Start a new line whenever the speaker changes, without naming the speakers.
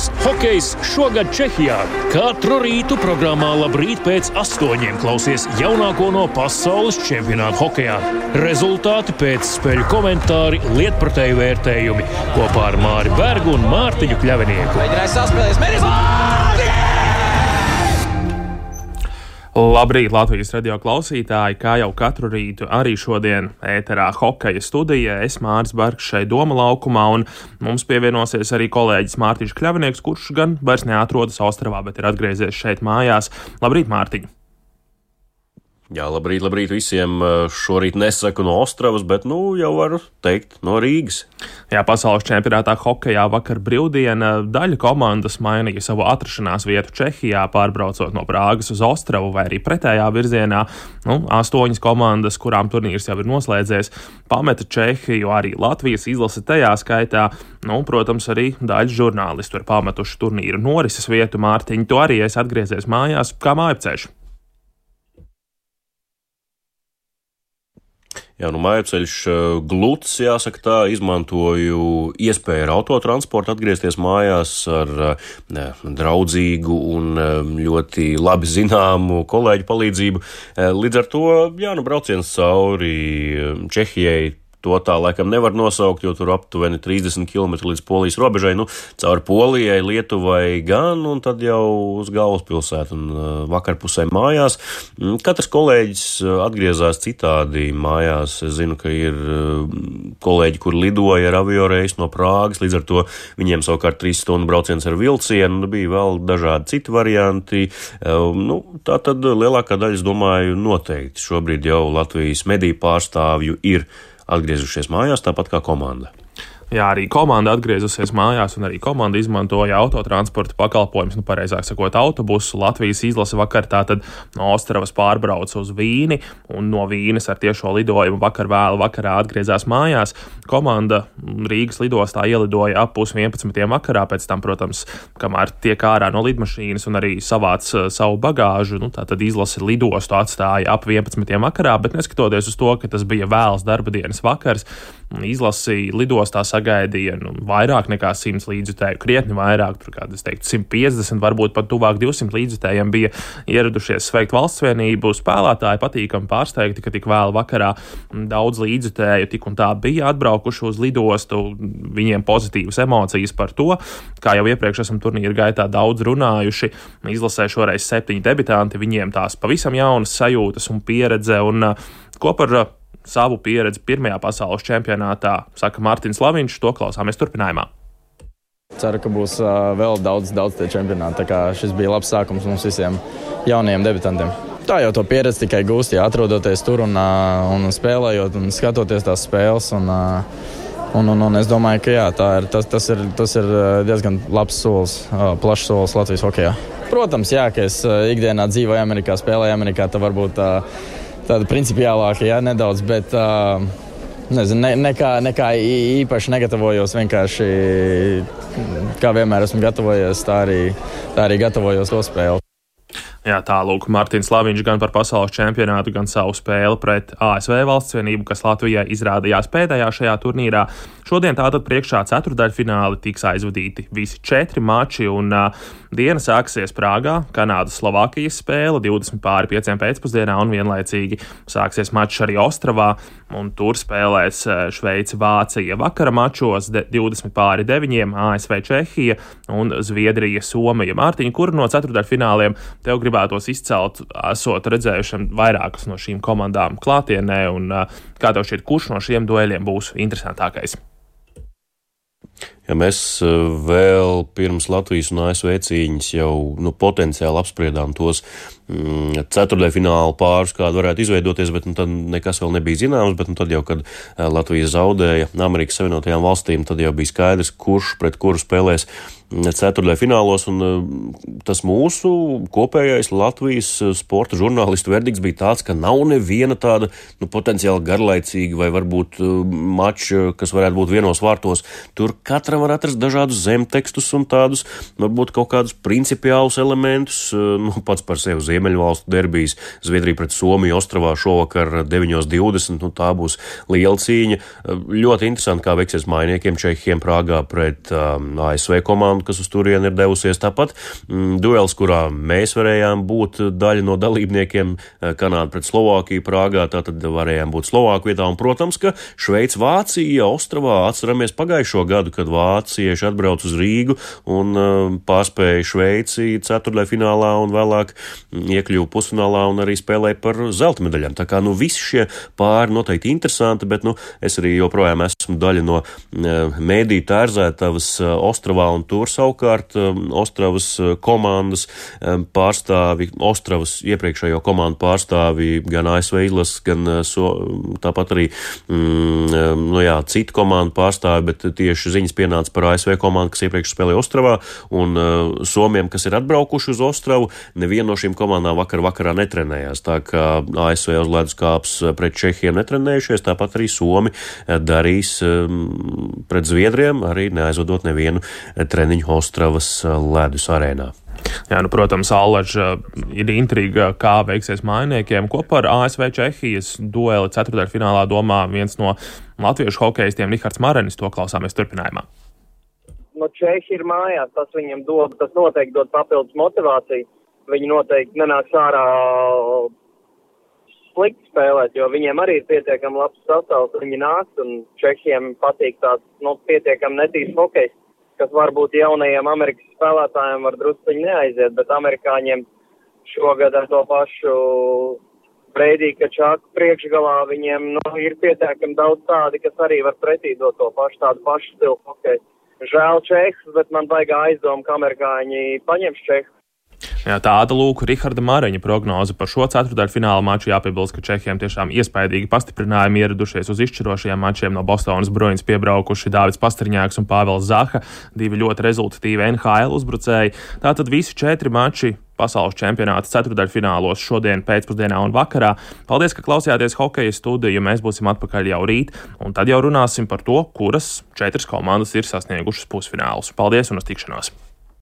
Latvijas hokejs šogad Čehijā. Katru rītu programmā Labrīt pēc 8 klausies jaunāko no pasaules čempionāta hokejā. Rezultāti pēc spēļu komentāri, lietpratēju vērtējumi kopā ar Māri Bergu un Mārtiņu Kļavinieku.
Mēģinājis saspēlēs,
Labrīt, Latvijas radio klausītāji! Kā jau katru rītu, arī šodien ēterā hokeja studijā es Māris Bergs šeit Doma laukumā, un mums pievienosies arī kolēģis Mārtiņš Kļavinieks, kurš gan vairs neatrodas Ostravā, bet ir atgriezies šeit mājās. Labrīt, Mārtiņ!
Jā, labrīt visiem. Šorīt nesaku no Ostravas, bet, jau varu teikt no Rīgas.
Jā, pasaules čempionātā hokejā vakar brīvdiena daļa komandas mainīja savu atrašanās vietu Čehijā, pārbraucot no Prāgas uz Ostravu vai arī pretējā virzienā. 8 komandas, kurām turnīrs jau ir noslēdzies, pameta Čehiju, arī Latvijas izlase tajā skaitā. Protams, arī daļa žurnālistu ir pametuši turnīru norises vietu. Mārtiņ, tu arī esi atgriezies mājās. Kā mājapceļš?
Jā, mājapceļš gluds, jāsaka tā, izmantoju iespēju ar autotransportu atgriezties mājās ar draudzīgu un ļoti labi zināmu kolēģu palīdzību. Līdz ar to, brauciens cauri Čehijai, to tā laikam nevar nosaukt, jo tur aptuveni 30 km līdz Polijas robežai, cauri Polijai, Lietuvai gan, un tad jau uz galvaspilsētu un vakarpusē mājās. Katrs kolēģis atgriezās citādi mājās. Es zinu, ka ir kolēģi, kur lidoja ar avioreisu no Prāgas, līdz ar to viņiem savukārt 3 stundu brauciens ar vilcienu, bija vēl dažādi citi varianti. Tā tad lielākā daļa, es domāju, noteikti šobrīd jau Latvijas mediju pārstāvju ir atgriezušies mājās, tāpat kā komanda.
Jā, arī komanda atgriezusies mājās, un arī komanda izmantoja autotransporta pakalpojumus, pareizāk sakot, autobusu. Latvijas izlase vakar tātad no Ostravas pārbrauca uz Vīni, un no Vīnes ar tiešo lidojumu vēlu vakarā atgriezās mājās. Komanda Rīgas lidostā ielidoja ap 11:30 vakarā, pēc tam, protams, kamēr tiek ārā no lidmašīnas un arī savāc savu bagāžu, tātad izlase lidostu atstāja ap 11:00 vakarā, bet neskatoties uz to, ka tas bija vēls darba dienas vakars, izlasi lidostā sagaidīja vairāk nekā 100 līdzjutēju, krietni vairāk, tur kādi, 150, varbūt pat tuvāk 200 līdzjutējiem bija ieradušies sveikt valsts vienību. Spēlētāji patīkami pārsteigti, ka tik vēl vakarā daudz līdzjutēju tik un tā bija atbraukuši uz lidostu, viņiem pozitīvas emocijas par to, kā jau iepriekš esam turnīra gaitā daudz runājuši. Izlasē šoreiz 7 debitanti, viņiem tās pavisam jaunas sajūtas un pieredze, un ko par savu pieredzi pirmajā pasaules čempionātā saka Mārtiņš Slaviņš, to klausāmies turpinājumā.
Ceru, ka būs vēl daudz tie čempionāti, tā kā šis bija labs sākums mums visiem jaunajiem debitantiem. Tā jau to pieredzi tikai gūst, atrodoties tur un spēlējot un skatoties tās spēles, un es domāju, ka tas ir diezgan labs solis, plašs solis Latvijas hokejā. Protams, ka es ikdienā dzīvoju Amerikā, spēlēju Amerikā, tā varbūt tāda principiālāka, nedaudz, bet nekā īpaši negatavojos, vienkārši kā vienmēr esmu gatavojies, tā arī gatavojos to spēli.
Jā, tālūk, Mārtiņš Slaviņš gan par pasaules čempionātu, gan savu spēli pret ASV valsts vienību, kas Latvijai izrādījās pēdējā šajā turnīrā. Šodien tātad priekšā ceturdaļfināli tiks aizvadīti visi 4 mači, un diena sāksies Prāgā, Kanādas-Slovākijas spēle 20:05 pēcpusdienā, un vienlaicīgi sāksies mačs arī Ostravā, un tur spēlēs Šveice-Vācija vakara mačos 20:09, ASV-Čehija un Zviedrija-Somija. Mārtiņa, kuru no ceturdaļfināliem tev gribētos izcelt, esot redzējušam vairākas no šīm komandām klātienē, un kā tev šķiet, kurš no šiem dueļiem būs interesantākais?
Ja mēs vēl pirms Latvijas un ASV cīņas jau potenciāli apspriedām tos ceturtdaļfināla pārus, kāda varētu izveidoties, bet tad nekas vēl nebija zināms, bet tad jau, kad Latvija zaudēja Amerikas Savienotajām valstīm, tad jau bija skaidrs, kurš pret kuru spēlēs ceturtdaļfinālos, un tas mūsu kopējais Latvijas sporta žurnālistu verdikts bija tāds, ka nav neviena tāda potenciāli garlaicīga vai varbūt mača, kas varētu būt vienos vārtos. Tur katram var atrast dažādus zemtekstus un tādus, varbūt kaut kādus principiālus elementus, pats par sevi Ziemeļvalstu derbijas, Zviedrija pret Somiju Ostravā šovakar 9:20, tā būs liela cīņa. Ļoti interesanti, kā veiksies mainiekiem Čehiem Prāgā pret ASV komandu, kas uz turieni ir devusies. Tāpat duels, kurā mēs varējām būt daļa no dalībniekiem, Kanāda pret Slovākiju Prāgā, tātad varējām būt Slovāku vietā, un, protams, ka Šveica Vācija Ostravā, atceramies pagājušo gadu, kad vācieši atbrauc uz Rīgu un pārspēja Šveici ceturtdaļfinālā un vēlāk iekļuva pusfinālā un arī spēlēja par zelta medaļām. Tā kā, visi šie pāri noteikti interesanti, bet, es arī joprojām esmu daļa no mēdīju tērzētavas Ostravā, un tur savukārt Ostravas komandas pārstāvi, Ostravas iepriekšējo komandu pārstāvi gan ASV izlases, gan tāpat arī citu komandu pārstāvi, bet tieši ziņas pienāca par ASV komandu, kas iepriekš spēlēja Ostravā, un somiem, kas ir atbraukuši uz Ostravu, neviena no šīm komandām vakarā netrenējās. Tā kā ASV uz ledus kāps pret Čehiem netrenējušies, tāpat arī Somi darīs pret Zviedriem, arī neaizvadot nevienu treniņu Ostravas ledus arēnā.
Jā, protams, Allaž ir intriga, kā veiksies mainiekiem. Ko par ASV Čehijas dueli ceturtdaļfinālā domā viens no latviešu hokeistiem Rihards Marenis, to klausāmies turpinājumā.
Čehi ir mājās, tas viņam tas noteikti dod papildus motivāciju. Viņi noteikti nenāks ārā slikti spēlēt, jo viņiem arī ir pietiekami labs sastāvs, viņi nāks, un Čehiem patīk tāds, pietiekami netīrs hokejs, kas varbūt jaunajiem Amerikas spēlētājiem var drusciņi neaiziet, bet amerikāņiem šogad ar to pašu Breidī Kačāku priekšgalā viņiem ir pietiekami daudz tādi, kas arī var pretī dot to pašu, tādu pašu stilu hokeju. Žēl Čehus, bet man baigā aizdoma, ka amerikāņi paņems Čehus.
Jā, tāda lūk Riharda Mareņa prognoze par šo ceturtdaļfināla maču. Jāpiebilst, ka Čehiem tiešām iespaidīgi pastiprinājumi ieradušies uz izšķirošajiem mačiem. No Bostonas Bruins piebraukuši Dāvids Pastrņāks un Pāvels Zaha, divi ļoti rezultatīvi NHL uzbrucēji. Tātad visi 4 mači pasaules čempionāta ceturtdaļfinālos šodien pēcpusdienā un vakarā. Paldies, ka klausījāties Hokeja studiju. Mēs būsim atpakaļ jau rīt, un tad jau runāsim par to, kuras 4 komandas ir sasniegušas pusfinālus. Paldies un uz tikšanos!